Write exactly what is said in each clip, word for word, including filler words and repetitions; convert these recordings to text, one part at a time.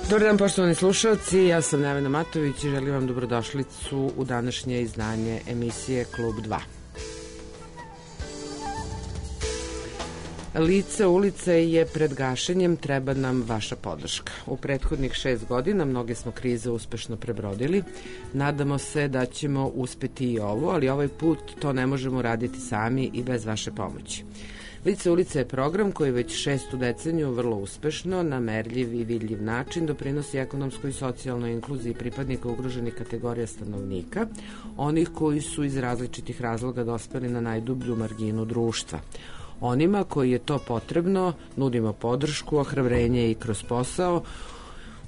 Dobar dan, poštovani slušalci, ja sam Nevena Matović i želim vam dobrodošlicu u današnje izdanje emisije Klub dva. Lice ulice je pred gašenjem, treba nam vaša podrška. U prethodnih šest godina mnoge smo krize uspešno prebrodili. Nadamo se da ćemo uspeti i ovo, ali ovaj put to ne možemo raditi sami i bez vaše pomoći. Lice ulice je program koji već šestu deceniju vrlo uspešno, na merljiv i vidljiv način doprinosi ekonomskoj i socijalnoj inkluziji pripadnika ugroženih kategorija stanovnika, onih koji su iz različitih razloga dospeli na najdublju marginu društva. Onima koji je to potrebno nudimo podršku, ohrabrenje i kroz posao.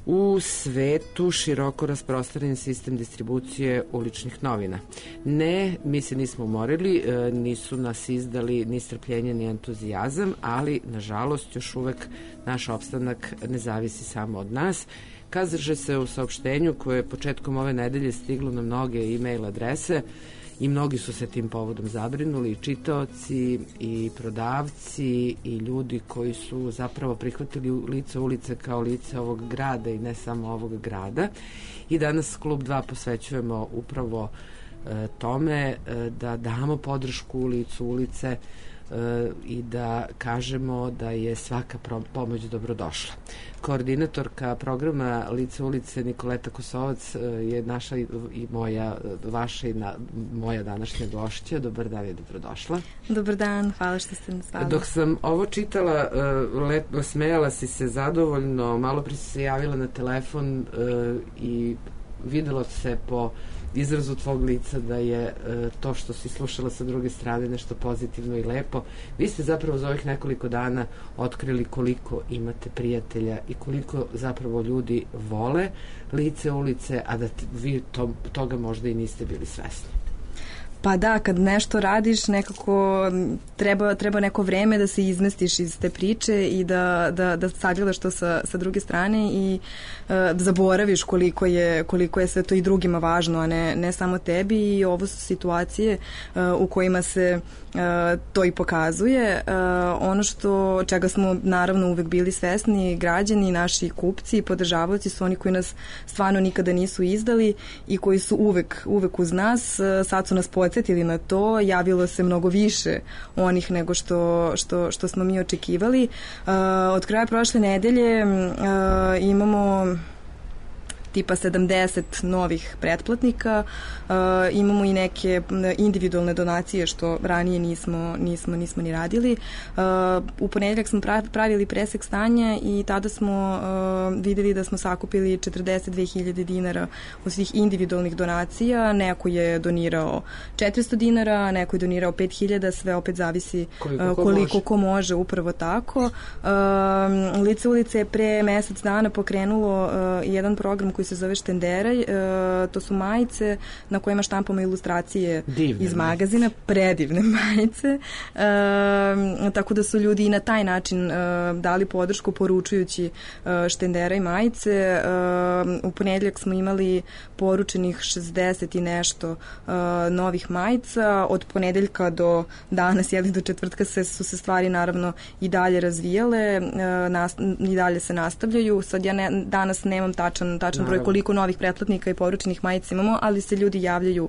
U svetu široko rasprostranjen sistem distribucije uličnih novina. Ne, mi se nismo umorili, nisu nas izdali ni strpljenje ni entuzijazam, ali nažalost još uvek naš opstanak ne zavisi samo od nas. Kaže se u saopštenju koje je početkom ove nedelje stiglo na mnoge e-mail adrese i mnogi su se tim povodom zabrinuli, i čitaoci i prodavci i ljudi koji su zapravo prihvatili lice ulice kao lice ovog grada i ne samo ovog grada. I danas Klub dva posvećujemo upravo e, tome e, da damo podršku licu ulice e, i da kažemo da je svaka pomoć dobrodošla. Koordinatorka programa Lice ulice Nikoleta Kosovac je naša i moja, vaša i na, moja današnja gošća. Dobar dan i dobrodošla. Dobar dan, hvala što ste nas zvali. Dok sam ovo čitala, lepo smejala si se zadovoljno, malo prije si se javila na telefon i videlo se po izrazu tvog lica da je e, to što si slušala sa druge strane nešto pozitivno i lepo. Vi ste zapravo za ovih nekoliko dana otkrili koliko imate prijatelja i koliko zapravo ljudi vole lice ulice, a da vi to, toga možda i niste bili svesni. Pa da, kad nešto radiš, nekako treba, treba neko vreme da se izmestiš iz te priče i da, da, da sagledaš to sa, sa druge strane i uh, zaboraviš koliko je, koliko je sve to i drugima važno, a ne, ne samo tebi, i ovo su situacije uh, u kojima se uh, to i pokazuje. Uh, ono što, čega smo naravno uvek bili svesni, građani, naši kupci i podržavaoci su oni koji nas stvarno nikada nisu izdali i koji su uvek, uvek uz nas. Uh, sad su nas podsjetili na to, javilo se mnogo više onih nego što, što, što smo mi očekivali. Uh, od kraja prošle nedelje uh, imamo tipa sedamdeset novih pretplatnika, uh, imamo i neke individualne donacije što ranije nismo, nismo, nismo ni radili. Uh, u ponedeljak smo pravili presek stanja i tada smo uh, videli da smo sakupili četrdeset dve hiljade dinara od svih individualnih donacija. Neko je donirao četiristo dinara, neko je donirao pet hiljada, sve opet zavisi koliko, uh, ko, koliko može. ko može, upravo tako. Uh, Lice ulice je pre mesec dana pokrenulo uh, jedan program koji se zove Štenderaj, e, to su majice na kojima štampamo ilustracije divne iz magazina, predivne majice, e, tako da su ljudi i na taj način e, dali podršku poručujući e, Štenderaj majice. E, u ponedeljak smo imali poručenih šezdeset i nešto e, novih majica. Od ponedeljka do danas, jeli do četvrtka, se, su se stvari naravno i dalje razvijale, e, nas, i dalje se nastavljaju. Sad ja ne, danas nemam tačan, tačan broj koliko novih pretplatnika i poručenih majica imamo, ali se ljudi javljaju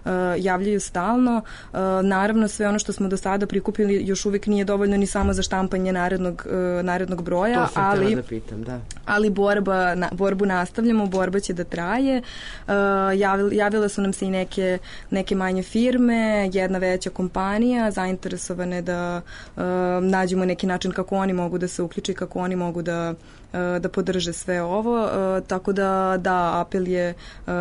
uh, javljaju stalno. Uh, naravno, sve ono što smo do sada prikupili još uvijek nije dovoljno ni samo za štampanje narednog, uh, narednog broja, to sam ali, da pitam, da. ali borba, na, borbu nastavljamo, borba će da traje. Uh, javil, javile su nam se i neke, neke manje firme, jedna veća kompanija, zainteresovane da uh, nađemo neki način kako oni mogu da se uključe, kako oni mogu da da podrže sve ovo, tako da da, apel je um,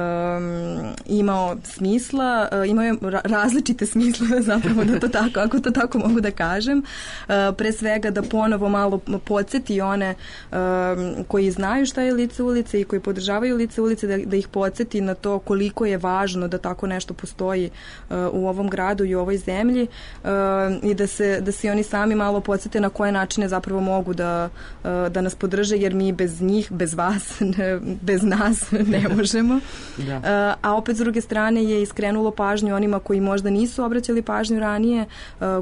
imao smisla, imao je različite smisle zapravo, da to tako, ako to tako mogu da kažem. Uh, pre svega da ponovo malo podsjeti one um, koji znaju šta je Lice ulice i koji podržavaju Lice ulice, da, da ih podsjeti na to koliko je važno da tako nešto postoji uh, u ovom gradu i u ovoj zemlji, uh, i da se, da se oni sami malo podsjete na koje načine zapravo mogu da, uh, da nas podrže, jer mi bez njih, bez vas, bez nas ne možemo. Da. A opet s druge strane je iskrenuo skrenulo pažnju onima koji možda nisu obraćali pažnju ranije,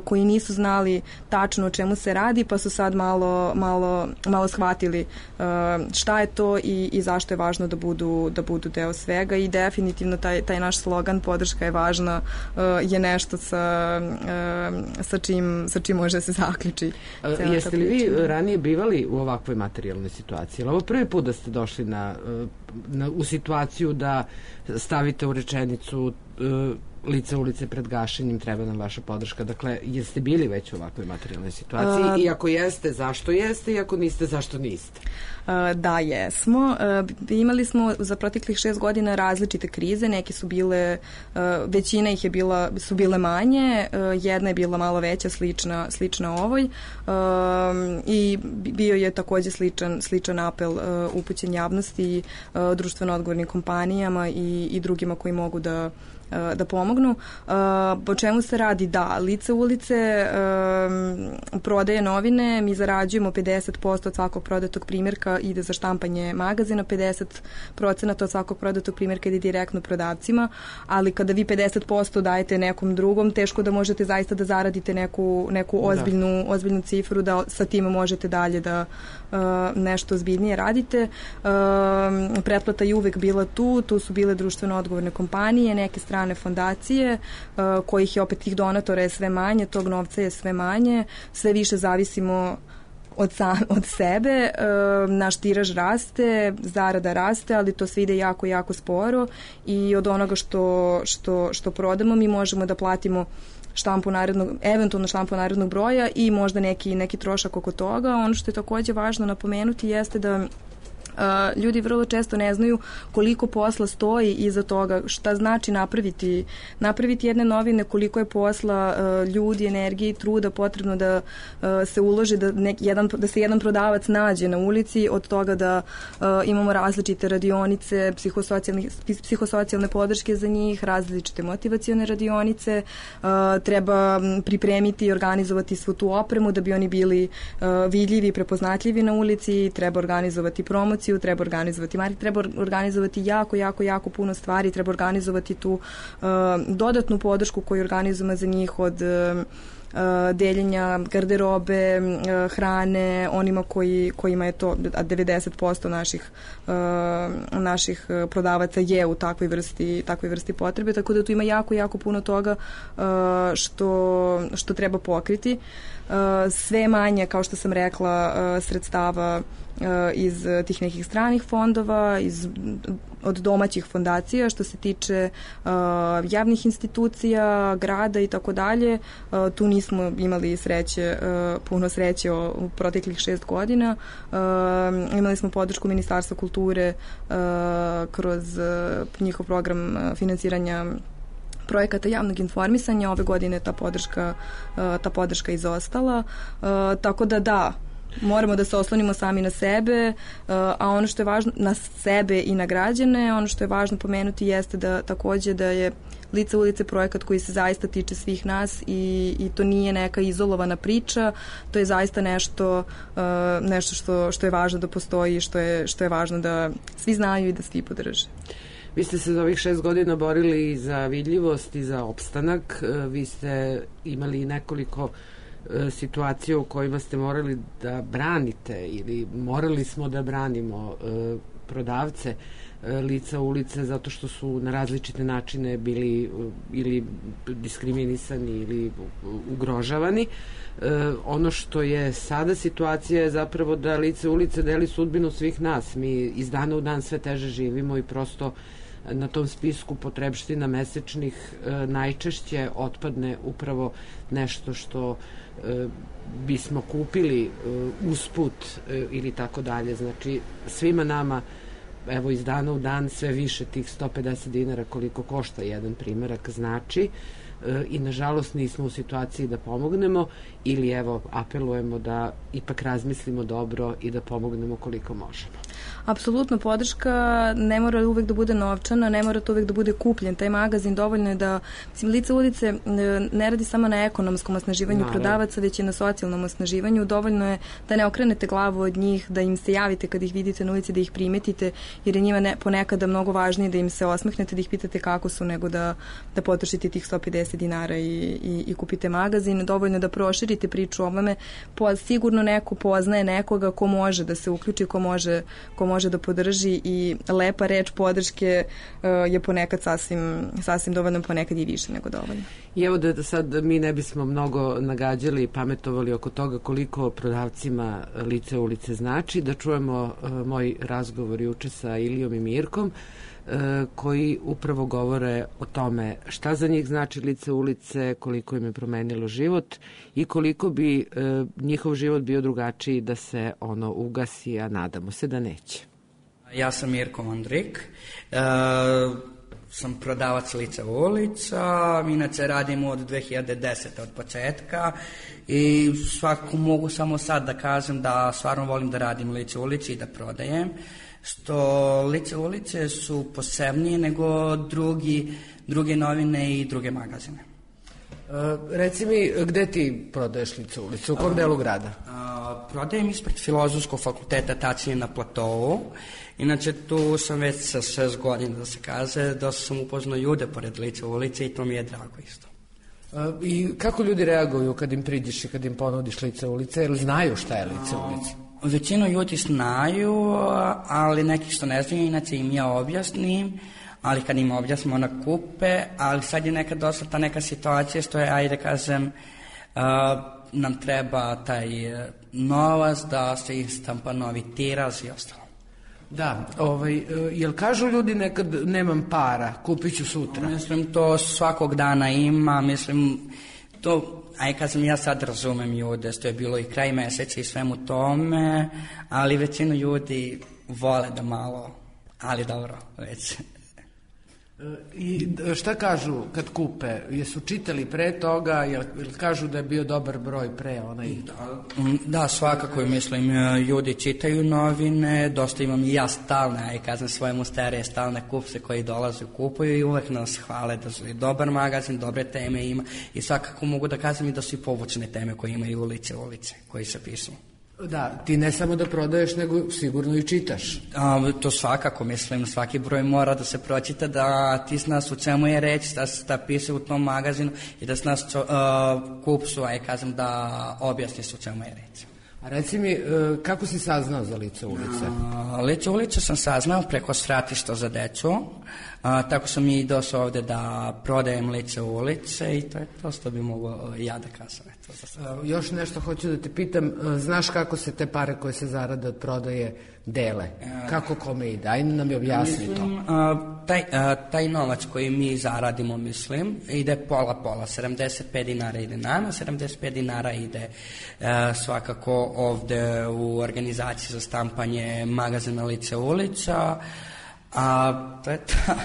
koji nisu znali tačno o čemu se radi, pa su sad malo, malo, malo shvatili šta je to i, i zašto je važno da budu, da budu deo svega i definitivno taj, taj naš slogan podrška je važna je nešto sa, sa, čim, sa čim može se zaključi. Jeste li vi ranije bivali u ovakvoj materijalnoj situaciji? Ovo prvi put da ste došli na, na, u situaciju da stavite u rečenicu lice ulice pred gašenjem, treba nam vaša podrška. Dakle, jeste bili već u ovakvoj materijalnoj situaciji? Uh, I ako jeste, zašto jeste? I ako niste, zašto niste? Uh, da, jesmo. Uh, imali smo za proteklih šest godina različite krize. Neke su bile, uh, većina ih je bila, su bile manje, uh, jedna je bila malo veća, slična, slična ovoj. Uh, I bio je takođe sličan, sličan apel uh, upućen javnosti, uh, društveno odgovornim kompanijama i, i drugima koji mogu da da pomognu. Po čemu se radi? Da, lice ulice um, prodaje novine, mi zarađujemo pedeset posto od svakog prodatog primjerka ide za štampanje magazina, pedeset procenata od svakog prodatog primjerka ide direktno prodavcima, ali kada vi pedeset posto dajete nekom drugom, teško da možete zaista da zaradite neku, neku ozbiljnu, da. ozbiljnu cifru, da sa tim možete dalje da uh, nešto ozbiljnije radite. Uh, pretplata je uvek bila tu, tu su bile društveno odgovorne kompanije, neke strane fondacije, uh, kojih je opet tih donatora je sve manje, tog novca je sve manje, sve više zavisimo od, sam, od sebe, uh, naš tiraž raste, zarada raste, ali to sve ide jako, jako sporo i od onoga što, što, što prodamo mi možemo da platimo štampu narednog, eventualno štampu narednog broja i možda neki, neki trošak oko toga. Ono što je takođe važno napomenuti jeste da Uh, ljudi vrlo često ne znaju koliko posla stoji iza toga, šta znači napraviti, napraviti jedne novine, koliko je posla uh, ljudi, energije i truda potrebno da uh, se uloži, da, nek, jedan, da se jedan prodavac nađe na ulici, od toga da uh, imamo različite radionice, psihosocijalne podrške za njih, različite motivacione radionice, uh, treba pripremiti i organizovati svu tu opremu da bi oni bili uh, vidljivi i prepoznatljivi na ulici, treba organizovati promociju, treba organizovati marketing, treba organizovati jako, jako, jako puno stvari, treba organizovati tu uh, dodatnu podršku koju organizujemo za njih od uh, deljenja garderobe, uh, hrane, onima koji, kojima je to, a devedeset posto naših, uh, naših prodavaca je u takvoj vrsti, takvoj vrsti potrebe, tako da tu ima jako, jako puno toga uh, što, što treba pokriti. Uh, sve manje, kao što sam rekla, uh, sredstava iz tih nekih stranih fondova, iz, od domaćih fondacija, što se tiče uh, javnih institucija, grada i tako dalje. Uh, tu nismo imali sreće, uh, puno sreće o, u proteklih šest godina. Uh, imali smo podršku Ministarstva kulture uh, kroz uh, njihov program uh, finansiranja projekata javnog informisanja. Ove godine ta podrška, uh, ta podrška izostala. Uh, tako da da, moramo da se oslonimo sami na sebe, a ono što je važno na sebe i na građane, ono što je važno pomenuti jeste da takođe da je Lice ulice projekat koji se zaista tiče svih nas i, i to nije neka izolovana priča, to je zaista nešto, nešto što, što je važno da postoji i što je, što je važno da svi znaju i da svi podrže. Vi ste se za ovih šest godina borili za vidljivost i za opstanak, vi ste imali nekoliko situacije u kojima ste morali da branite ili morali smo da branimo e, prodavce e, lica ulice zato što su na različite načine bili e, ili diskriminisani ili ugrožavani. E, ono što je sada situacija je zapravo da lice ulice deli sudbinu svih nas. Mi iz dana u dan sve teže živimo i prosto na tom spisku potrebština mesečnih e, najčešće otpadne upravo nešto što e, bismo kupili e, usput e, ili tako dalje. Znači, svima nama evo iz dana u dan sve više tih sto pedeset dinara koliko košta jedan primerak znači e, i nažalost nismo u situaciji da pomognemo ili evo apelujemo da ipak razmislimo dobro i da pomognemo koliko možemo. apsolutno podrška ne mora uvek da bude novčana, ne mora to uvek da bude kupljen. Taj magazin dovoljno je da, mislim, Lice ulice ne radi samo na ekonomskom osnaživanju Naravno. prodavaca, već i na socijalnom osnaživanju. Dovoljno je da ne okrenete glavu od njih, da im se javite kad ih vidite na ulici, da ih primetite, jer je njima ne, ponekada mnogo važnije da im se osmehnete, da ih pitate kako su, nego da, da potrošite tih sto pedeset dinara i, i, i kupite magazin. Dovoljno je da proširite priču o ovome. Po, sigurno neko poznaje nekoga ko može da se uključi, ko može, ko može da podrži i lepa reč podrške uh, je ponekad sasvim, sasvim dovoljno, ponekad i više nego dovoljno. I evo da sad mi ne bismo mnogo nagađali i pametovali oko toga koliko prodavcima Lice ulice znači, da čujemo uh, moj razgovor juče sa Ilijom i Mirkom, koji upravo govore o tome šta za njih znači Lice ulice, koliko im je promenilo život i koliko bi e, njihov život bio drugačiji da se ono ugasi, a nadamo se da neće. Ja sam Mirko Mondrik, e, sam prodavac Lice ulica, inače radim od dve hiljade desete od početka i svako mogu samo sad da kažem da stvarno volim da radim Lice ulici i da prodajem, što Lice ulice su posebnije nego drugi, druge novine i druge magazine. Uh, reci mi, gde ti prodaješ Lice ulice? U kom delu grada? Uh, prodajem ispred Filozofskog fakulteta, tačnije na Platovu. Inače, tu sam već sa šest godina, da se kaže, da sam upoznao ljude pored Lice ulice i to mi je drago isto. Uh, I kako ljudi reaguju kad im priđeš i kad im ponudiš Lice ulice? Jer znaju šta je Lice ulice? Većinu ljudi znaju, ali neki što ne znaju, inače im ja objasnim, ali kad im objasnim ona kupe, ali sad je nekad dosta ta neka situacija što je, ajde kažem, uh, nam treba taj novac da se istampa novi tiraž i ostalo. Da, ovaj, jel kažu ljudi nekad nemam para, kupit ću sutra? Mislim, to svakog dana ima, mislim, to... Aj, kad sam ja sad razumem ljude, što je bilo i kraj meseca i svemu tome, ali većinu ljudi vole da malo, ali dobro, već. I šta kažu kad kupe? Jesu čitali pre toga, jel kažu da je bio dobar broj pre onaj? Da, da svakako, mislim, ljudi čitaju novine, dosta imam i ja stalne, aj kažem svojemu starije stalne kupce koji dolaze kupuju i uvek nas hvale da su dobar magazin, dobre teme ima i svakako mogu da kažem i da su i povučne teme koje imaju Lice ulice, koji se pisu. Da, ti ne samo da prodaješ, nego sigurno i čitaš. A, to svakako, mislim, svaki broj mora da se pročita, da ti znaš u čemu je reč, da se da piše u tom magazinu i da znaš uh, kupcu, aj kažem, da objasniš u čemu je reč. A reci mi, kako si saznao za Lice ulice? A, Lice ulice sam saznao preko svratišta za decu, a, tako sam i došao ovde da prodajem Lice ulice i to je to što bi mogao ja da kažem. A, još nešto hoću da te pitam, znaš kako se te pare koje se zarade od prodaje dele? Kako kome ide? Ajde nam je objasni to. Mislim, a, taj, a, taj novac koji mi zaradimo, mislim, ide pola-pola, sedamdeset pet dinara ide nama, sedamdeset pet dinara ide a, svakako ovde u organizaciji za štampanje magazina Lice ulica, a to je ta...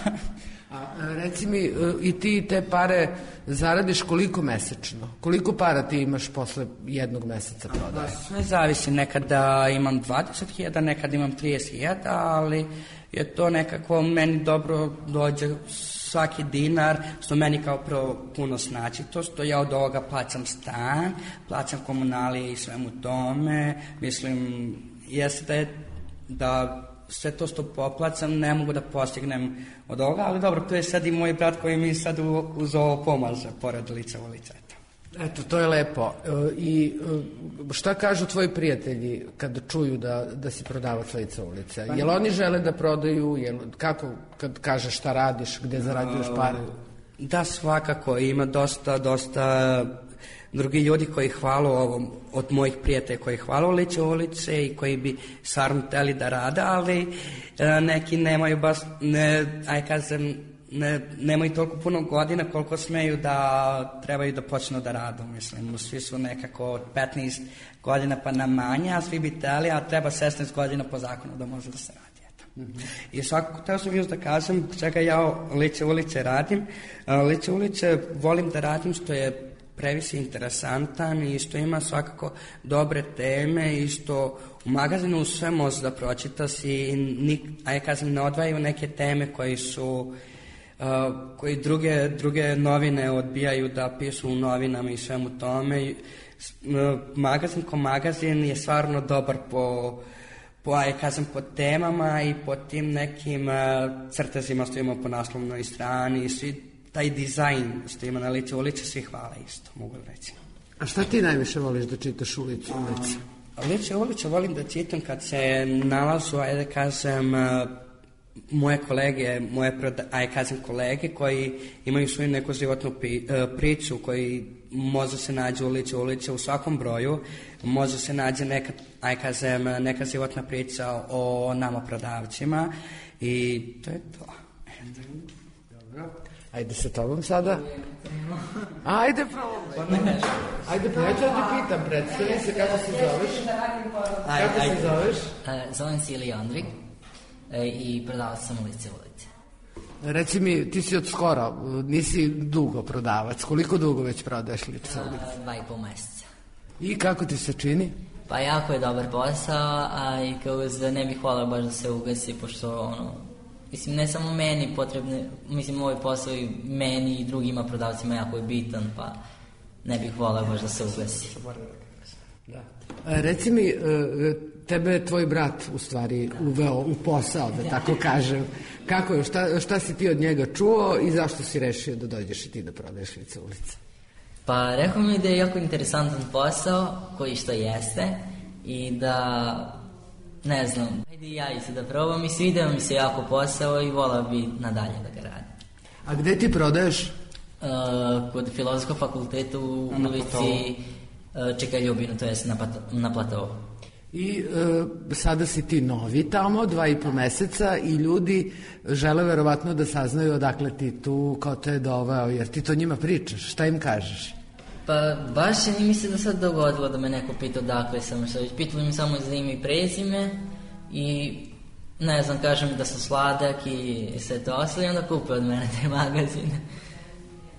A reci mi, i ti te pare zaradiš koliko mesečno? Koliko para ti imaš posle jednog meseca prodaje? Sve zavisi, nekada imam dvadeset hiljada, nekada imam trideset hiljada, ali je to nekako meni dobro dođe svaki dinar, što meni kao prvo puno znači, to što ja od ovoga plaćam stan, plaćam komunalije i svemu tome, mislim, jeste da je da sve to što poplaćam ne mogu da postignem od ovoga, ali dobro, to je sad i moj brat koji mi sad uz ovo pomaže, pored Lice ulice. Eto, to je lepo. I šta kažu tvoji prijatelji kad čuju da, da si prodavac Lice ulice? Jel oni žele da prodaju? Jel, kako kad kažeš šta radiš, gde zarađuješ pare? Da, svakako. Ima dosta, dosta drugi ljudi koji hvalu ovom, od mojih prijatelja koji hvalu Lice ulice i koji bi stvarno hteli da rade, ali neki nemaju baš, ne, aj kažem, ne, nemaju toliko puno godina koliko smeju da trebaju da počnu da radu, mislim. Svi su nekako od petnaest godina pa na manje, a svi bi teli, a treba šesnaest godina po zakonu da može da se radi. Mm-hmm. I svakako, teo sam još da kažem čega ja Lice ulice radim. Lice ulice volim da radim što je previše interesantan i što ima svakako dobre teme i što u magazinu sve može da pročitaš i nik, a ja kažem, ne odvajaju neke teme koji su uh, koji druge, druge novine odbijaju da pišu u novinama i svemu tome. Uh, magazin ko magazin je stvarno dobar po po, ja kažem, po temama i po tim nekim uh, crtezima što ima po naslovnoj strani i svi taj dizajn što ima na Lice ulice, svi hvala isto, mogu reći. A šta ti najviše voliš da čitaš u Lice ulice? Lice ulice volim da čitam kad se nalazu, ajde kažem, moje kolege, moje, ajde kažem, kolege koji imaju svoju neku životnu priču, koji može se nađe u Lice ulice u svakom broju, može se nađe neka, ajde kažem, neka životna priča o nama prodavcima i to je to. Dobro. Ajde sa tobom sada. Ajde, probaj. Ajde, pa ja ću da ti pitam, predstavi se kako se zoveš. Kako se zoveš? Zovem se Ilija Andrik i prodavac sam u Lice ulice. Reci mi, ti si od skoro, nisi dugo prodavac. Koliko dugo već prodaješ Lice ulice? Dva i pol meseca. I kako ti se čini? Pa jako je dobar posao, a i kao da ne bih hvala baš da se ugasi, pošto ono, mislim, ne samo meni potrebne, mislim, ovaj posao i meni i drugima prodavcima jako je bitan, pa ne bih volao baš da se ugasi. Da. E, reci mi, tebe je tvoj brat u stvari uveo u posao, da tako kažem. Kako je, šta, šta si ti od njega čuo i zašto si rešio da dođeš i ti da prodaješ Lice ulice? Pa rekao mi da je jako interesantan posao, koji što jeste, i da... Ne znam, ajde i ja i se da probam i svidio mi se jako posao i volao bi nadalje da ga radim. A gde ti prodaješ? Uh, kod Filozofskog fakulteta u ulici uh, Čeka Ljubinu, to je na, na Platovu. I uh, sada si ti novi tamo, dva i po meseca i ljudi žele verovatno da saznaju odakle ti tu, kao te je doveo, jer ti to njima pričaš, šta im kažeš? Pa baš je ni mi se do sad dogodilo da me neko pita odakle sam, što već pitali mi samo za ime i prezime i ne znam, kažem da sam sladak i sve to ostalo i onda kupe od mene te magazine.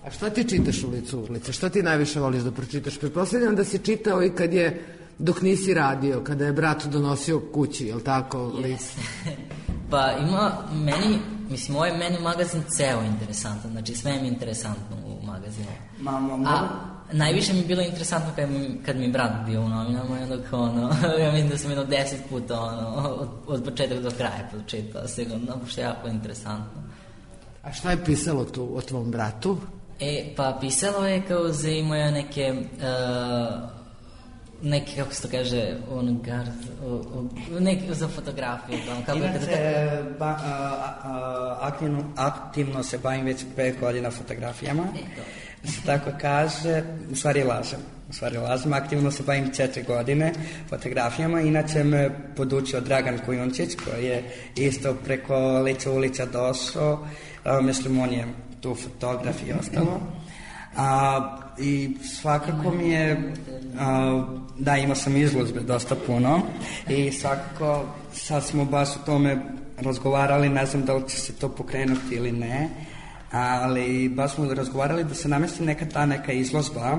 A šta ti čitaš u Licu ulice? Šta ti najviše voliš da pročitaš? Pretpostavljam da si čitao i kad je, dok nisi radio, kada je brat donosio kući, je li tako? Yes. Pa ima meni, mislim, ovaj meni magazin ceo interesantan, znači sve mi je interesantno u magazinu. Mamo, A najviše mi je bilo interesantno kad mi, kad mi brat bio u novinama i onda kao ono, ja mislim da sam jedno deset puta ono, od, od početka do kraja pročitao sigurno, pošto je jako interesantno. A šta je pisalo tu o tvom bratu? E, pa pisalo je kao za imao neke... Uh, neki, kako se to kaže, on gard, neki za fotografiju. Kako Inače, je ba, a, a, aktivno, aktivno se bavim već pet godina fotografijama. E, se tako kaže, u stvari lažem. U stvari lažem, aktivno se bavim četiri godine fotografijama. Inače me podučio Dragan Kujundžić, koji je isto preko Lice ulica došao. A, mislim, on je tu fotograf i ostalo. A, i svakako mi je a, da, imao sam izložbe dosta puno i svakako sad smo baš o tome razgovarali, ne znam da li će se to pokrenuti ili ne, ali baš smo razgovarali da se namesti neka ta neka izložba,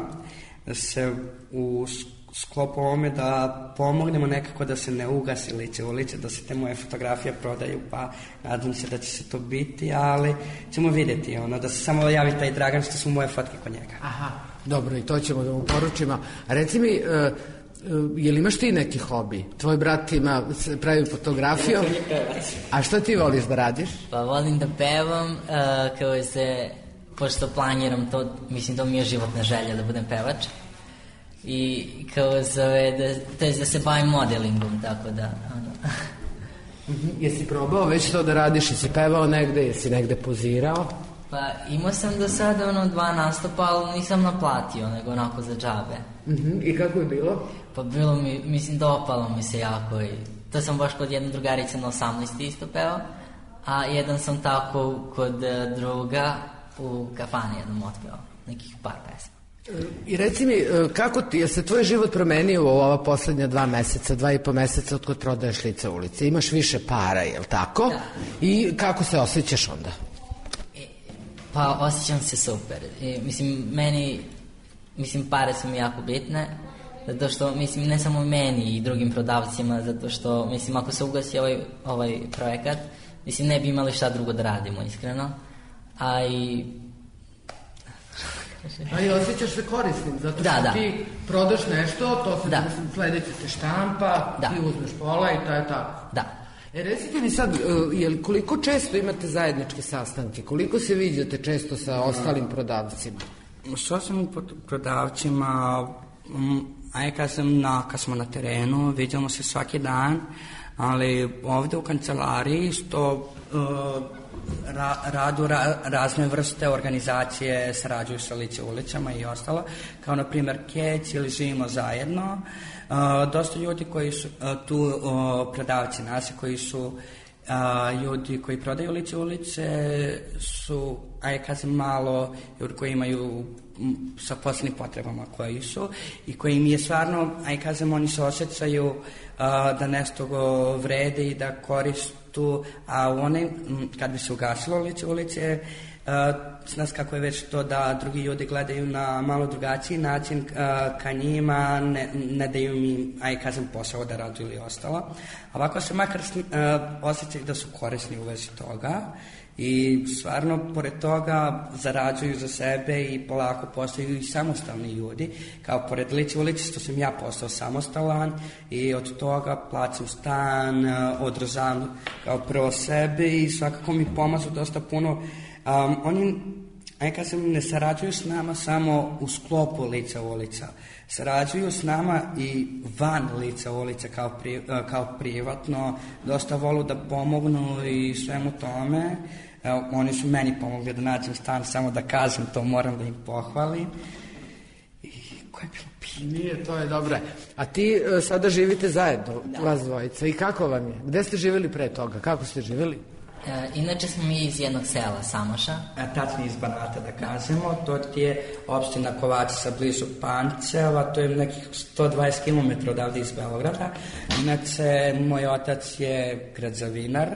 da se u sklopu ovome da pomognemo nekako da se ne ugasi Lice ulice, da se te moje fotografije prodaju, pa nadam se da će se to biti, ali ćemo vidjeti, ono, da se samo javi taj Dragan što su moje fotke kod njega. Aha, dobro, i to ćemo da mu poručimo. A reci mi, uh, uh, je li imaš ti neki hobi? Tvoj brat ima, pravi fotografiju, a što ti voliš da radiš? Pa volim da pevam, uh, kao se, pošto planiram to, mislim, to mi je životna želja da budem pevač. I kao zove, da, to je da se bavim modelingom, tako da, ono. Mm-hmm. Jesi probao već to da radiš, jesi pevao negde, jesi negde pozirao? Pa imao sam do sada ono dva nastupa, ali nisam naplatio, nego onako za džabe. Mm-hmm. I kako je bilo? Pa bilo mi, mislim, dopalo mi se jako i to sam baš kod jedne drugarice na osamnaesti isto pevao, a jedan sam tako kod druga u kafani jednom otpevao, nekih par pesma. I reci mi, kako ti, je se tvoj život promenio u ova poslednja dva meseca, dva i po meseca od kod prodaješ Lice ulice? Imaš više para, je li tako? Da. I kako se osjećaš onda? E, pa osjećam se super. E, mislim, meni mislim, pare su mi jako bitne, zato što, mislim, ne samo meni i drugim prodavcima, zato što, mislim, ako se ugasi ovaj, ovaj projekat, mislim, ne bi imali šta drugo da radimo, iskreno. A i... A i osjećaš se korisnim, zato što da, da. ti prodaš nešto, to se da. mislim, sledeće se štampa, da. Ti uzmeš pola i to je tako. Da. E, recite mi sad, jel, koliko često imate zajedničke sastanke? Koliko se viđate često sa ostalim prodavcima? S ostalim prodavcima, aj kad, sam na, kad smo na terenu, vidimo se svaki dan, ali ovde u kancelariji što uh, ra, radu ra, razne vrste organizacije sarađuju sa Lice ulicama i ostalo, kao na primer Kec ili Živimo zajedno. Uh, dosta ljudi koji su uh, tu uh, prodavci nasi koji su uh, ljudi koji prodaju Lice ulice su, aj kažem, malo ljudi koji imaju m, sa posebnim potrebama koji su i koji mi je stvarno, aj kažem, oni se osjećaju uh, da nešto go vrede i da koristu, a one kad bi se ugasilo Lice ulice, Uh, znaš kako je već to da drugi ljudi gledaju na malo drugačiji način uh, ka njima, ne, ne daju mi, aj kažem, posao da radu ili ostalo. Ovako se makar uh, osjećaju da su korisni u vezi toga i stvarno, pored toga, zarađuju za sebe i polako postaju i samostalni ljudi. Kao pored Lice ulice što sam ja postao samostalan i od toga plaćam stan, uh, održavam kao prvo sebe i svakako mi pomažu dosta puno. Um, oni, aj kažem, ne sarađuju s nama samo u sklopu Lica ulica. Sarađuju s nama i van Lica ulica kao, pri, kao privatno. Dosta volu da pomognu i svemu tome. Evo, oni su meni pomogli da nađem stan, samo da kažem, to moram da im pohvalim. I koje je bilo pitanje? Nije, to je dobro. A ti uh, sada živite zajedno, da. Vas dvojica. I kako vam je? Gde ste živjeli pre toga? Kako ste živjeli? E, inače smo mi iz jednog sela, Samoša. A tačnije iz Banata, da kažemo. To ti je opština Kovačica blizu Pančeva, to je nekih sto dvadeset kilometara odavde iz Beograda. Inače, moj otac je građevinar,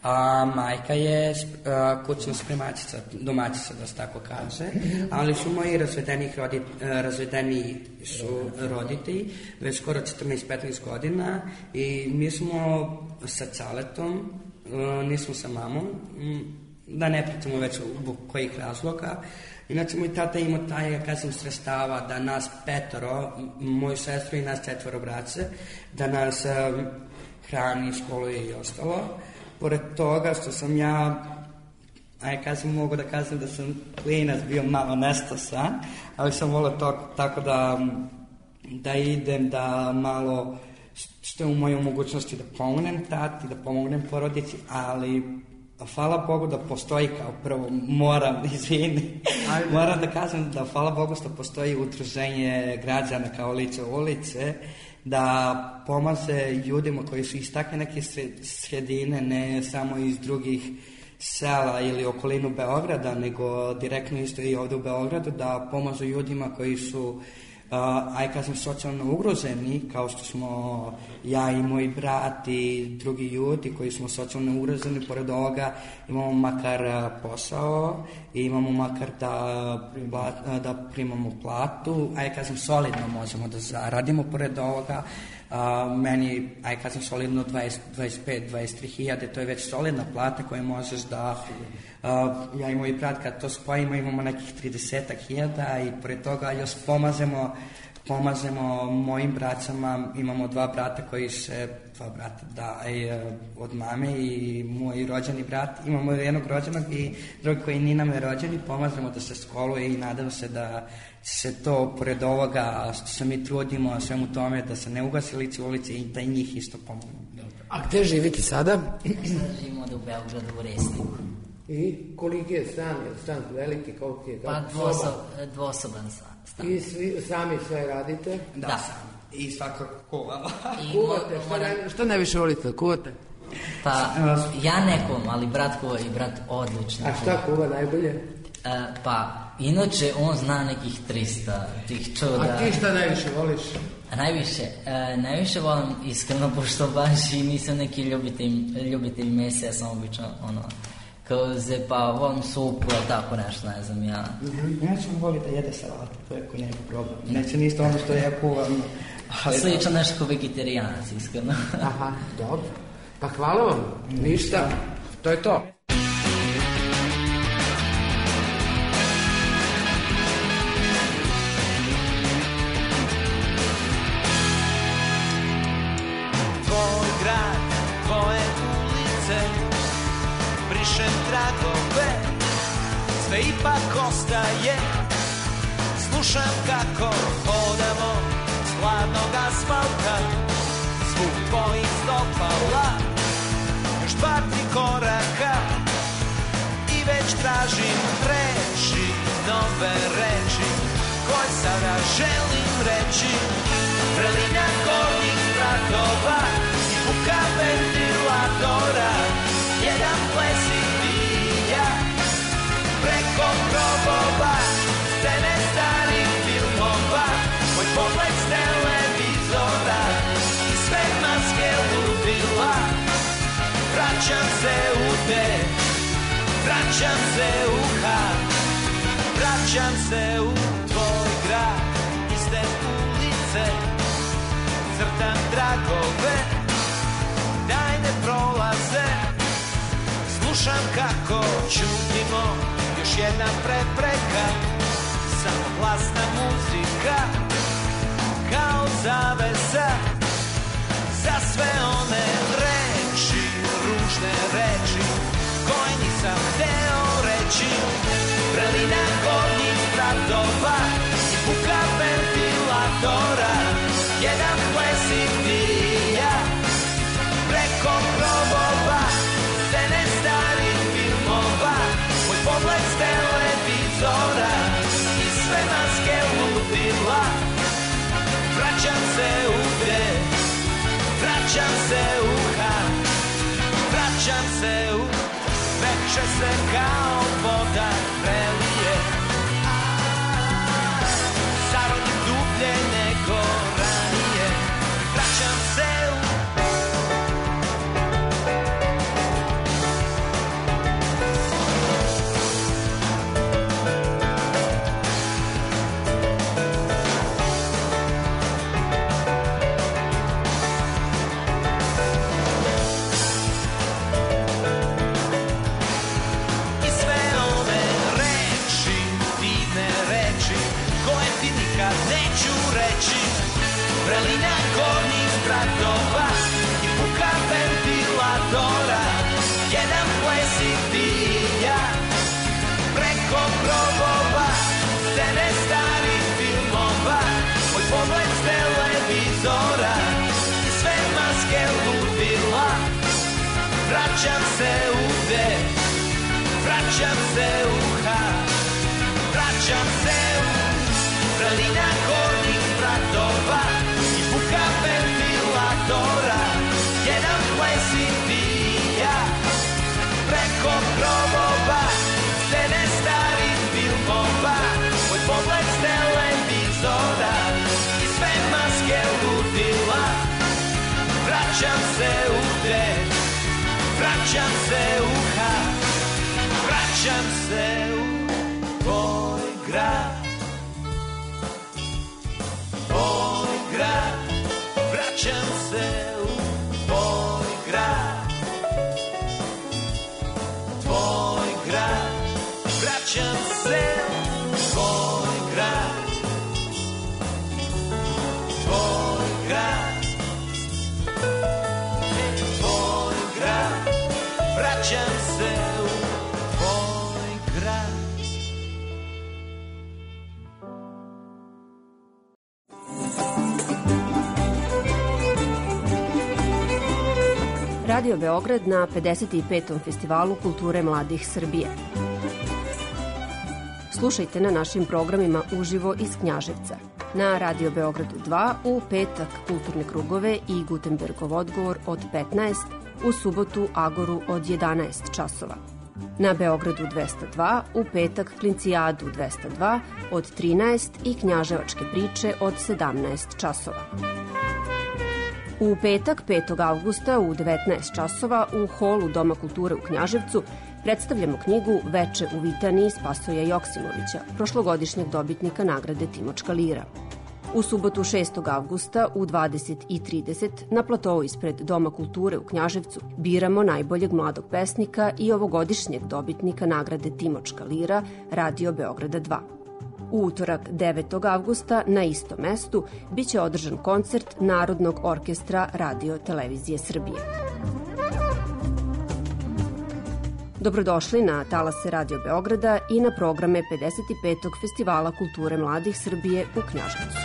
a majka je a, kućna spremačica, domaćica, da se tako kaže. Ali su moji razvedeni, rodit, razvedeni su roditelji, već skoro četrnaest petnaest godina i mi smo sa Caletom, nismo sa mamom, da ne pričamo već zbog kojih razloga. Inače, moj tata ima taj, ja kažem, sredstava da nas petoro, moju sestru i nas četvoro braće, da nas um, hrani, školuje i ostalo. Pored toga što sam ja, a ja kažem, mogu da kažem da sam klinac bio malo nestasan, ali sam volio to tako da, da idem, da malo što je u mojoj mogućnosti da pomognem tati, da pomognem porodici, ali hvala Bogu da postoji, kao prvo moram, izvini, moram da kažem da hvala Bogu što postoji udruženje građana kao Lice ulice, da pomaže ljudima koji su iz takve neke sredine, ne samo iz drugih sela ili okolinu Beograda, nego direktno isto i ovde u Beogradu, da pomažu ljudima koji su Uh, aj kad sam socijalno ugroženi, kao što smo ja i moj brat i drugi ljudi koji smo socijalno ugroženi, pored ovoga imamo makar uh, posao i imamo makar da, uh, da primamo platu, aj kad sam solidno možemo da zaradimo pored ovoga. Uh, meni, aj kad sam solidno dvadeset, dvadeset pet, dvadeset tri hiljade, to je već solidna plata koju možeš da, uh, ja i moj brat kad to spojimo imamo nekih trideset hiljada i pored toga još pomažemo, pomažemo mojim braćama, imamo dva brata koji se, dva brata da, i, uh, od mame i moj rođeni brat, imamo jednog rođenog i drugi koji nije nam je rođeni, pomažemo da se školuje i nadam se da se to, pored ovoga što se mi trudimo svemu tome, da se ne ugasi Lice ulice i da i njih isto pomogu. A gde živite sada? Sada živimo da u Beogradu u Resniku. I koliki je stan? Je stan veliki? Koliki je? Pa dvosob, dvosoban stan. I svi, sami sve radite? Da, da. Sami. I svakako kuvamo. Kuvate? Šta, moram... ne, šta najviše volite? Kuvate? Pa ja nekom, ali brat kuva i brat odlično. A šta kuva najbolje? Uh, pa, inače, on zna nekih trista tih čuda. A ti šta najviše voliš? A najviše? Uh, najviše volim iskreno, pošto baš i nisam neki ljubitelj, ljubitelj mesa, ja sam obično, ono, kao ze, pa volim supu, ali tako nešto, ne znam ja. Mm-hmm. Ja ću voli da jede salatu, to je ko njegov problem. Neće ništa ono što ja kuvam. Slično nešto kao vegetarijanac, iskreno. Aha, dobro. Pa hvala vam, ništa, to je to. Tvoj grad, tvoje ulice, brišem tragove, sve ipak ostaje. Slušam kako hodamo s hladnog asfalta, zvuk tvojih stopala, još dva, tri koraka i već tražim reči, nove reči, koje sada želim reći. Vrelina gornjih spratova i buka ventilatora, jedan ples i dija preko grobova, scene starih filmova, moj pogled s televizora i sve maske ludila. Vraćam se u te, vraćam se u had, vraćam se u tvoj grad, iste ulice, crtam tragove, daj ne prolaze, slušam kako čutimo, još jedna prepreka, samo glasna muzika, kao zavesa, za sve one reči, ružne reči, koje nisam hteo reći. Vrelina gornjih spratova i buka ventilatora, jedan ples i dija preko grobova, scene starih filmova, moj pogled s televizora i sve maske ludila. Vraćam se u gde, vraćam se u had, vraćam se u veče se kao voda prelije, zarodim dublje nego ranije. Vraćam se u vrelina gornjih spratova i buka ventilatora, jedan ples i dija preko grobova, scene starih filmova, moj pogled s televizora i sve maske ludila. Vraćam se u gde, vraćam se u had, vraćam se u vrelina gornjih spratova i buka ventilatora, jedan ples i dija preko grobova, scene starih filmova, moj pogled s televizora i sve maske ludila. Vraćam se u gde, vraćam se u had, vraćam se u tvoj grad, tvoj grad, vraćam se u tvoj grad, tvoj grad, vraćam se u tvoj grad, tvoj grad, tvoj grad, vraćam se u tvoj grad. Radio Beograd na pedeset petom Festivalu kulture mladih Srbije. Slušajte na našim programima uživo iz Knjaževca. Na Radio Beogradu dva u petak kulturne krugove i Gutenbergov odgovor od petnaest, u subotu Agoru od jedanaest časova. Na Beogradu dvesta dva u petak Klincijadu dvesta dva od trinaest i Knjaževačke priče od sedamnaest časova. U petak petog avgusta u devetnaest časova u holu Doma kulture u Knjaževcu predstavljamo knjigu Veče u Vitaniji Spasoja Joksimovića, prošlogodišnjeg dobitnika nagrade Timočka lira. U subotu šestog avgusta u dvadeset i trideset na platovu ispred Doma kulture u Knjaževcu biramo najboljeg mladog pesnika i ovogodišnjeg dobitnika nagrade Timočka lira Radio Beograda dva. U utorak devetog avgusta na istom mestu biće održan koncert Narodnog orkestra Radio Televizije Srbije. Dobrodošli na talase Radio Beograda i na programe pedeset petog Festivala kulture mladih Srbije u Knjaževcu.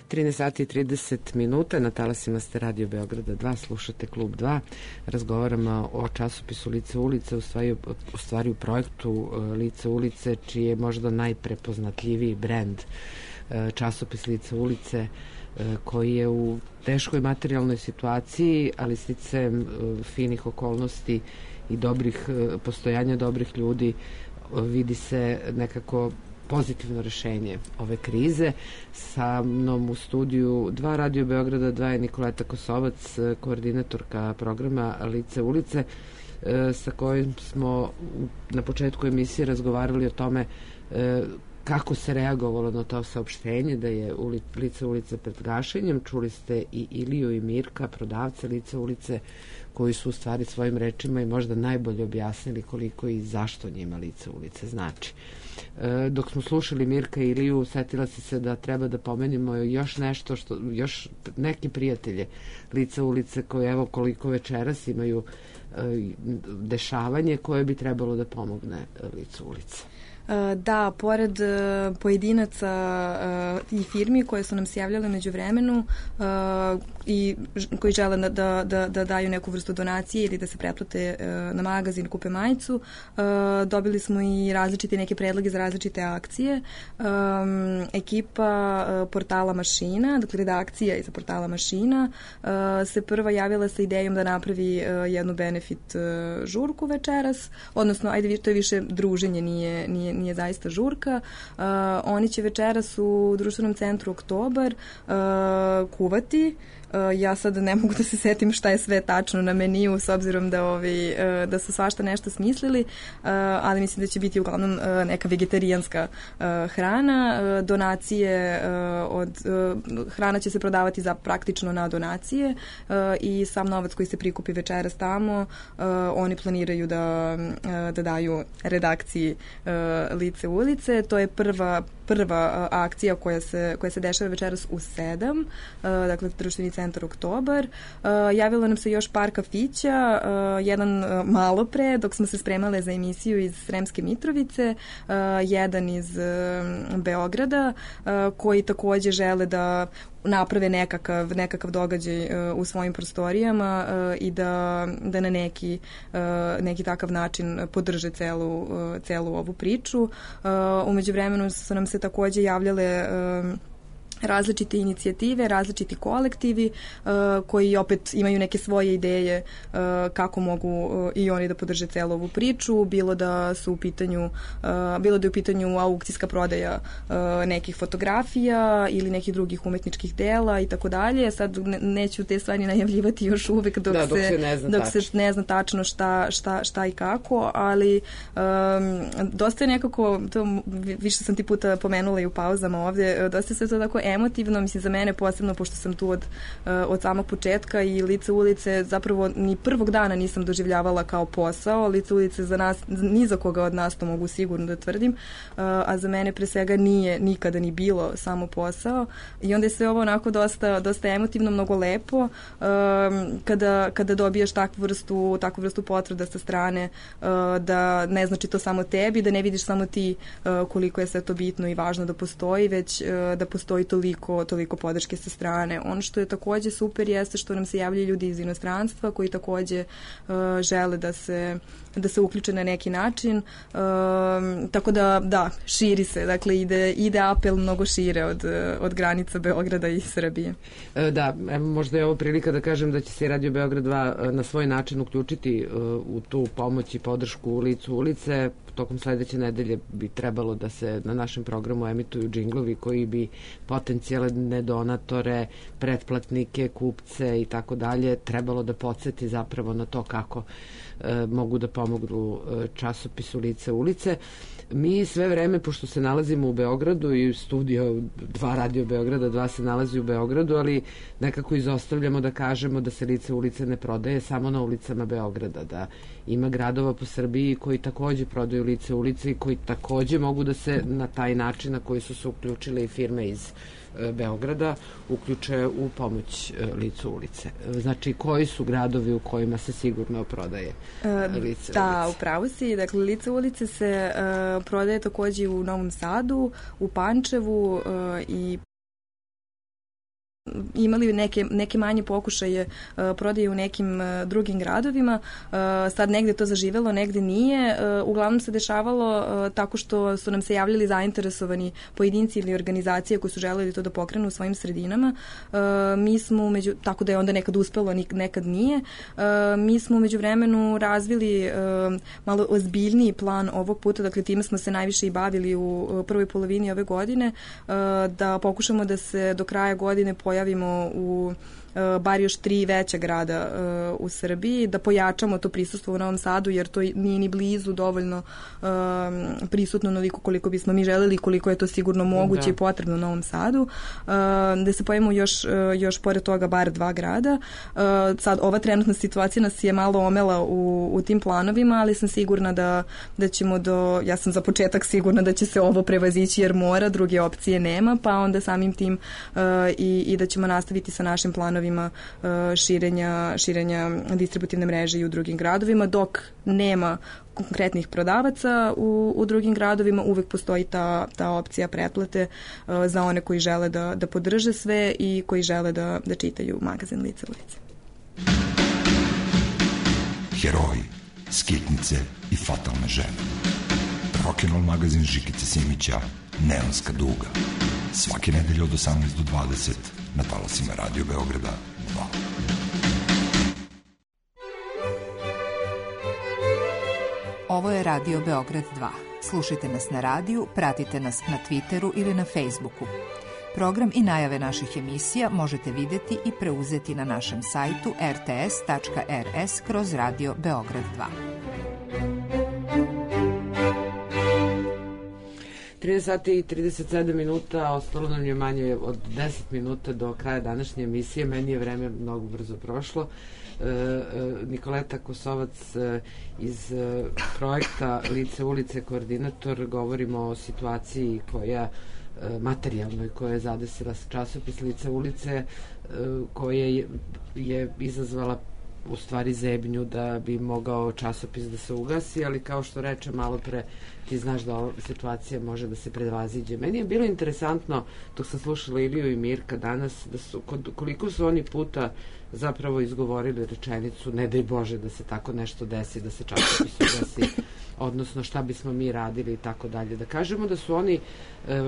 trinaest sati i trideset minuta, na talasima ste Radio Beograda dva, slušate Klub dva, razgovaramo o časopisu Lice ulice, u stvari, u stvari u projektu Lice ulice, čiji je možda najprepoznatljiviji brend časopis Lice ulice, koji je u teškoj materijalnoj situaciji, ali sticem finih okolnosti i dobrih postojanja dobrih ljudi vidi se nekako pozitivno rešenje ove krize. Sa mnom u studiju dva Radio Beograda dva je Nikoleta Kosovac, koordinatorka programa Lice ulice, sa kojim smo na početku emisije razgovarali o tome kako se reagovalo na to saopštenje da je Lice ulice pred gašenjem. Čuli ste i Iliju i Mirka, prodavce Lice ulice, koji su u stvari svojim rečima i možda najbolje objasnili koliko i zašto njima Lice ulice znači. E, dok smo slušali Mirka i Iliju, setila si se da treba da pomenimo još nešto, što, još neke prijatelje Lice ulice koje evo koliko večeras imaju e, dešavanje koje bi trebalo da pomogne Lice ulice. Da, pored pojedinaca i firmi koje su nam se javljale među vremenu i koji žele da, da, da daju neku vrstu donacije ili da se pretplate na magazin, kupe majicu, dobili smo i različite neke predloge za različite akcije. Ekipa portala Mašina, dakle redakcija iza portala Mašina, se prva javila sa idejom da napravi jednu benefit žurku večeras, odnosno, ajde, to je više druženje, nije, nije nije zaista žurka. Uh, oni će večeras u društvenom centru Oktobar uh, kuvati. Uh, ja sad ne mogu da se setim šta je sve tačno na meniju, s obzirom da, ovi, uh, da su svašta nešto smislili, uh, ali mislim da će biti uglavnom uh, neka vegetarijanska uh, hrana. Uh, donacije, uh, od, uh, hrana će se prodavati za praktično na donacije uh, i sam novac koji se prikupi večeras tamo, uh, oni planiraju da, uh, da daju redakciji uh, Lice ulice. To je prva prva uh, akcija koja se, koja se dešava večeras u sedam, uh, dakle društveni centar Oktobar. Uh, javilo nam se još par kafića, uh, jedan uh, malo pre, dok smo se spremale za emisiju iz Sremske Mitrovice, uh, jedan iz uh, Beograda, uh, koji takođe žele da naprave nekakav, nekakav događaj uh, u svojim prostorijama uh, i da, da na neki, uh, neki takav način podrže celu, uh, celu ovu priču. Uh, umeđu vremenu su nam se takođe javljale uh, različite inicijative, različiti kolektivi uh, koji opet imaju neke svoje ideje uh, kako mogu uh, i oni da podrže celu ovu priču, bilo da su u pitanju uh, bilo da je u pitanju aukcijska prodaja uh, nekih fotografija ili nekih drugih umetničkih dela i tako dalje. Sad ne, neću te stvari najavljivati još uvek dok, da, dok, se, ne, zna dok se ne zna tačno šta, šta, šta i kako, ali um, dosta je nekako, to više sam ti puta pomenula i u pauzama ovde, dosta je sve to tako emotivno, mislim za mene posebno, pošto sam tu od, od samog početka i Lice ulice zapravo ni prvog dana nisam doživljavala kao posao. Lice ulice za nas, ni za koga od nas, to mogu sigurno da tvrdim, a za mene pre svega nije nikada ni bilo samo posao i onda je sve ovo onako dosta, dosta emotivno, mnogo lepo kada, kada dobijaš takvu vrstu, takvu vrstu potvrda sa strane da ne znači to samo tebi, da ne vidiš samo ti koliko je sve to bitno i važno da postoji, već da postoji toliko, toliko podrške sa strane. Ono što je takođe super jeste što nam se javljaju ljudi iz inostranstva koji takođe uh, žele da se, da se uključe na neki način. Uh, tako da, da, širi se. Dakle, ide, ide apel mnogo šire od, od granica Beograda i Srbije. E, da, evo, možda je ovo prilika da kažem da će se Radio Beograd dva na svoj način uključiti uh, u tu pomoć i podršku Licu ulice. tokom sledeće nedelje bi trebalo da se na našem programu emituju džinglovi koji bi potencijalne donatore, pretplatnike, kupce i tako dalje trebalo da podsjeti zapravo na to kako e, mogu da pomognu e, časopisu Lice ulice. Mi sve vreme, pošto se nalazimo u Beogradu i studio dva Radio Beograda, dva se nalazi u Beogradu, ali nekako izostavljamo da kažemo da se Lice ulice ne prodaje samo na ulicama Beograda, da ima gradova po Srbiji koji takođe prodaju Lice ulice i koji takođe mogu da se na taj način na koji su se uključile i firme iz Beograda uključe u pomoć Licu ulice. Znači, koji su gradovi u kojima se sigurno prodaje Lice ulice? Da, upravo si. Dakle, Lice ulice se uh, prodaje takođe u Novom Sadu, u Pančevu uh, i imali neke, neke manje pokušaje uh, prodaje u nekim uh, drugim gradovima. Uh, sad negde to zaživelo, negde nije. Uh, uglavnom se dešavalo uh, tako što su nam se javljali zainteresovani pojedinci ili organizacije koji su želeli to da pokrenu u svojim sredinama. Uh, mi smo, među, tako da je onda nekad uspelo, nekad nije. Uh, mi smo među vremenu razvili uh, malo ozbiljniji plan ovog puta, dakle time smo se najviše i bavili u uh, prvoj polovini ove godine, uh, da pokušamo da se do kraja godine pojavimo u bar još tri veća grada uh, u Srbiji, da pojačamo to prisustvo u Novom Sadu, jer to nije ni blizu dovoljno uh, prisutno onoliko koliko bismo mi želeli, koliko je to sigurno moguće da. I potrebno u Novom Sadu, uh, da se pojavimo još, uh, još pored toga bar dva grada. Uh, sad, ova trenutna situacija nas je malo omela u, u tim planovima, ali sam sigurna da, da ćemo do, ja sam za početak sigurna da će se ovo prevazići jer mora, druge opcije nema, pa onda samim tim uh, i, i da ćemo nastaviti sa našim planovima širenja, širenja distributivne mreže i u drugim gradovima, dok nema konkretnih prodavaca u, u drugim gradovima, uvek postoji ta, ta opcija pretplate uh, za one koji žele da, da podrže sve i koji žele da, da čitaju magazin Lice ulice. Heroji, skitnice i fatalne žene. Rock'n'roll magazin Žikice Simića, Neonska duga. Svake nedelje od osamnaest do dvadeset na talasima Radio Beograda dva. Ovo je Radio Beograd dva. Slušajte nas na radiju, pratite nas na Twitteru ili na Facebooku. Program i najave naših emisija možete videti i preuzeti na našem sajtu r t s tačka r s kroz Radio Beograd dva. trideset sati i trideset sedam minuta, ostalo nam je manje od deset minuta do kraja današnje emisije. Meni je vreme mnogo brzo prošlo. E, e, Nikoleta Kosovac e, iz e, projekta Lice ulice, koordinator, govorimo o situaciji koja e, materijalnoj koja je zadesila časopis Lice ulice, e, koja je, je izazvala u stvari zebnju da bi mogao časopis da se ugasi, ali kao što reče malo pre, ti znaš da ova situacija može da se prevaziđe. Meni je bilo interesantno, dok sam slušala Iliju i Mirka danas, da su, koliko su oni puta zapravo izgovorili rečenicu ne daj Bože da se tako nešto desi, da se časopis ugasi, odnosno šta bismo mi radili i tako dalje. Da kažemo da su oni,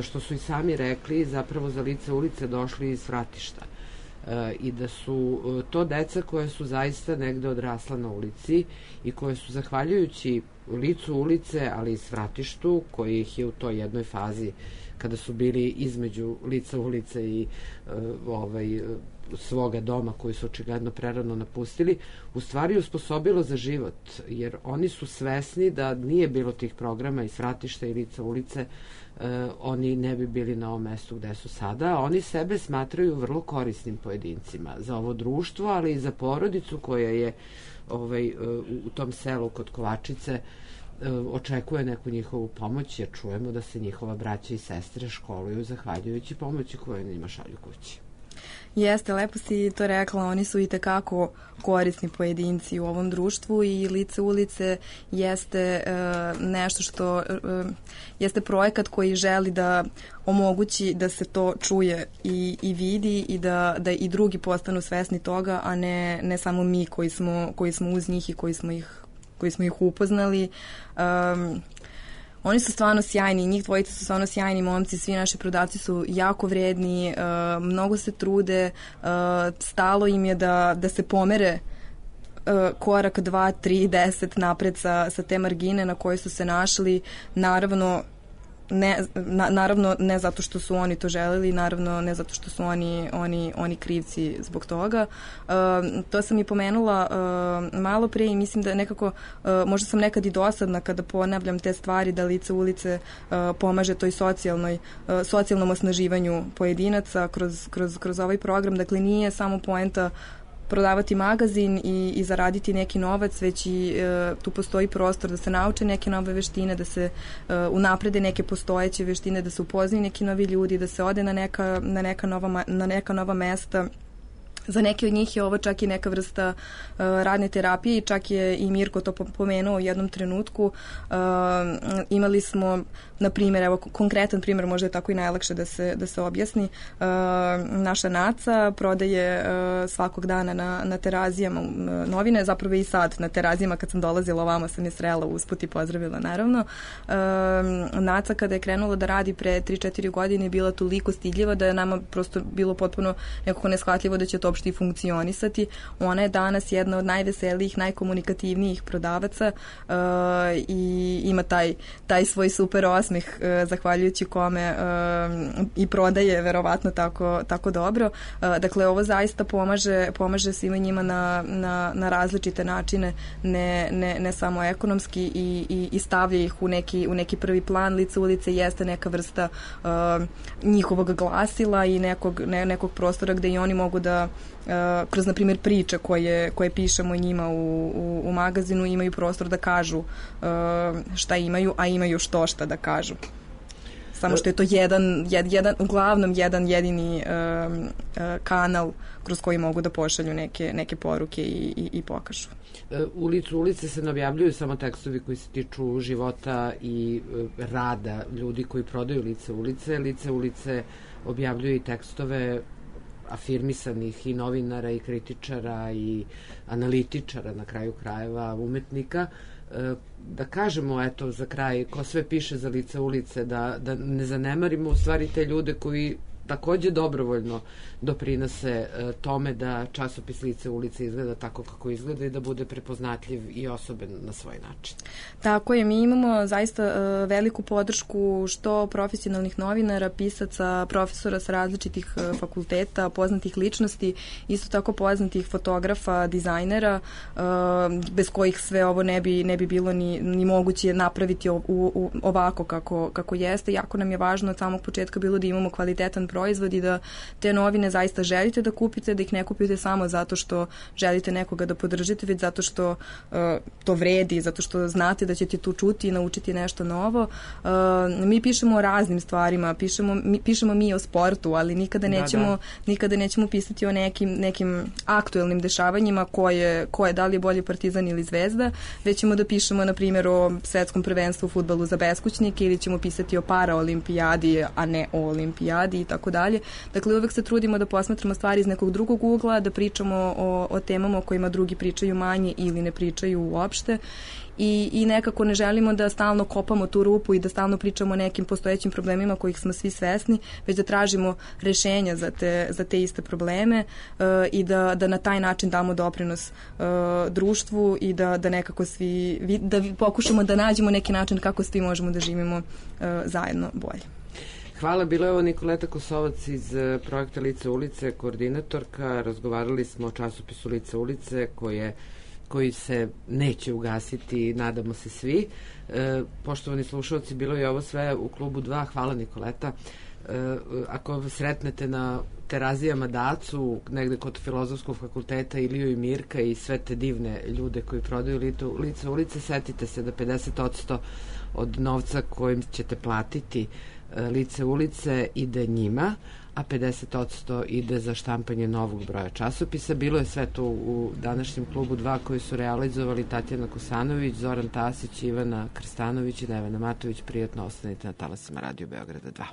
što su i sami rekli, zapravo za Lice ulice došli iz Fratišta. E, i da su to deca koje su zaista negde odrasla na ulici i koje su zahvaljujući Licu ulice, ali i Svratištu, koji ih je u toj jednoj fazi kada su bili između Lica ulice i e, ovaj, svoga doma koji su očigledno prerano napustili, u stvari usposobilo za život, jer oni su svesni da nije bilo tih programa i Svratišta i Lica ulice, Uh, oni ne bi bili na ovom mestu gde su sada, a oni sebe smatraju vrlo korisnim pojedincima za ovo društvo, ali i za porodicu koja je ovaj, uh, u tom selu kod Kovačice uh, očekuje neku njihovu pomoć, jer čujemo da se njihova braća i sestre školuju zahvaljujući pomoći koju njima šalju kući. Jeste, lepo si to rekla, oni su i tekako korisni pojedinci u ovom društvu i Lice ulice jeste uh, nešto što uh, jeste projekat koji želi da omogući da se to čuje i, i vidi i da, da i drugi postanu svesni toga, a ne, ne samo mi koji smo, koji smo uz njih i koji smo ih, koji smo ih upoznali. Um, Oni su stvarno sjajni, njih dvojica su stvarno sjajni momci, svi naši prodavci su jako vredni, uh, mnogo se trude, uh, stalo im je da, da se pomere korak dva, tri, deset napred sa, sa te margine na koje su se našli, naravno ne, na, naravno ne zato što su oni to želeli, naravno ne zato što su oni, oni, oni krivci zbog toga. Uh, to sam i pomenula uh, malo pre i mislim da nekako, uh, možda sam nekad i dosadna kada ponavljam te stvari, da Lice ulice uh, pomaže toj socijalnoj, uh, socijalnom osnaživanju pojedinaca kroz, kroz, kroz ovaj program. Dakle, nije samo poenta prodavati magazin i, i zaraditi neki novac, već i e, tu postoji prostor da se nauče neke nove veštine, da se e, unaprede neke postojeće veštine, da se upoznaju neki novi ljudi, da se ode na neka, na neka, nova, na neka nova mesta. Za neke od njih je ovo čak i neka vrsta uh, radne terapije i čak je i Mirko to pomenuo u jednom trenutku. Uh, imali smo, na primjer, evo konkretan primjer, možda je tako i najlakše da se, da se objasni. Uh, naša Naca prodaje uh, svakog dana na, na terazijama uh, novine, zapravo i sad na terazijama kad sam dolazila ovamo sam je srela usput i pozdravila naravno. Uh, Naca kada je krenula da radi pre tri četiri godine je bila toliko stidljiva da je nama prosto bilo potpuno nekako neshvatljivo da će to uopšte i funkcionisati. Ona je danas jedna od najveselijih, najkomunikativnijih prodavaca uh, i ima taj, taj svoj super osmeh uh, zahvaljujući kome uh, i prodaje verovatno tako, tako dobro. Uh, dakle, ovo zaista pomaže, pomaže svima njima na, na, na različite načine, ne, ne, ne samo ekonomski i, i, i stavlja ih u neki, u neki prvi plan. Lice ulice jeste neka vrsta uh, njihovog glasila i nekog, ne, nekog prostora gde i oni mogu da Uh, kroz, na primjer, priče koje, koje pišemo njima u, u, u magazinu imaju prostor da kažu uh, šta imaju, a imaju što šta da kažu. Samo što je to jedan, jed, jedan uglavnom jedan jedini um, uh, kanal kroz koji mogu da pošalju neke, neke poruke i, i, i pokažu. U Licu ulice se ne objavljuju samo tekstovi koji se tiču života i rada ljudi koji prodaju Lice ulice. Lice ulice objavljuju i tekstove afirmisanih i novinara i kritičara i analitičara, na kraju krajeva umetnika. Da kažemo, eto, za kraj, ko sve piše za Lice ulice, da, da ne zanemarimo u stvari te ljude koji takođe dobrovoljno doprinose e, tome da časopis Lice ulice izgleda tako kako izgleda i da bude prepoznatljiv i osoben na svoj način. Tako je, mi imamo zaista e, veliku podršku što profesionalnih novinara, pisaca, profesora sa različitih e, fakulteta, poznatih ličnosti, isto tako poznatih fotografa, dizajnera, e, bez kojih sve ovo ne bi, ne bi bilo ni, ni moguće napraviti u, u, ovako kako, kako jeste. Jako nam je važno od samog početka bilo da imamo kvalitetan proizvod i da te novine zaista želite da kupite, da ih ne kupite samo zato što želite nekoga da podržite, već zato što uh, to vredi, zato što znate da ćete tu čuti i naučiti nešto novo. Uh, mi pišemo o raznim stvarima, pišemo mi, pišemo mi o sportu, ali nikada nećemo, da, da. nikada nećemo pisati o nekim, nekim aktuelnim dešavanjima koje, koje da li je bolji Partizan ili Zvezda, već ćemo da pišemo, na primjer, o svetskom prvenstvu u fudbalu za beskućnike ili ćemo pisati o paraolimpijadi, a ne o olimpijadi i tako dalje. Dakle, uvek se trudimo da posmatramo stvari iz nekog drugog ugla, da pričamo o, o temama o kojima drugi pričaju manje ili ne pričaju uopšte. I, i nekako ne želimo da stalno kopamo tu rupu i da stalno pričamo o nekim postojećim problemima kojih smo svi svesni, već da tražimo rešenja za te, za te iste probleme uh, i da, da na taj način damo doprinos uh, društvu i da, da nekako svi, da pokušamo da nađemo neki način kako svi možemo da živimo uh, zajedno bolje. Hvala, bila je ovo Nikoleta Kosovac iz projekta Lice ulice, koordinatorka. Razgovarali smo o časopisu Lice ulice koje koji se neće ugasiti, nadamo se svi. E, poštovani slušalci, bilo je ovo sve u klubu dva. Hvala, Nikoleta. E, ako sretnete na terazijama Dacu, negde kod Filozofskog fakulteta, Iliju i Mirka i sve te divne ljude koji prodaju Lice ulice, setite se da pedeset posto od novca kojim ćete platiti Lice ulice ide njima, a pedeset posto ide za štampanje novog broja časopisa. Bilo je sve to u današnjem klubu dva koji su realizovali Tatjana Kosanović, Zoran Tasić, Ivana Krstanović i Nevena Matović. Prijatno ostanite na talasima Radio Beograda dva.